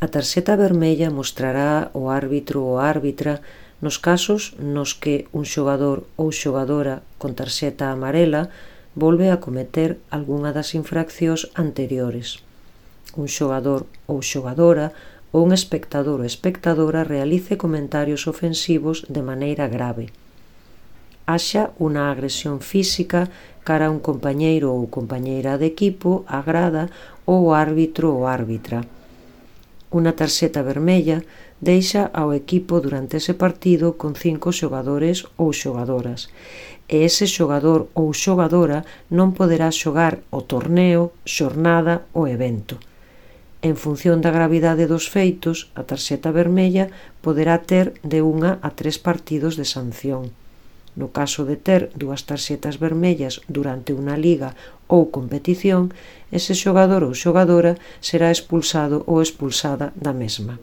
A tarxeta vermella mostrará o árbitro ou árbitra nos casos nos que un xogador ou xogadora con tarxeta amarela volve a cometer algunha das infraccións anteriores. Un xogador ou xogadora ou un espectador ou espectadora realice comentarios ofensivos de maneira grave. Haxa unha agresión física cara a un compañeiro ou compañeira de equipo, a grada ou o árbitro ou árbitra. Unha tarxeta vermella deixa ao equipo durante ese partido con 5 xogadores ou xogadoras e ese xogador ou xogadora non poderá xogar o torneo, xornada ou evento. En función da gravidade dos feitos, a tarxeta vermella poderá ter de 1 a 3 partidos de sanción. No caso de ter 2 tarxetas vermellas durante unha liga ou competición, ese xogador ou xogadora será expulsado ou expulsada da mesma.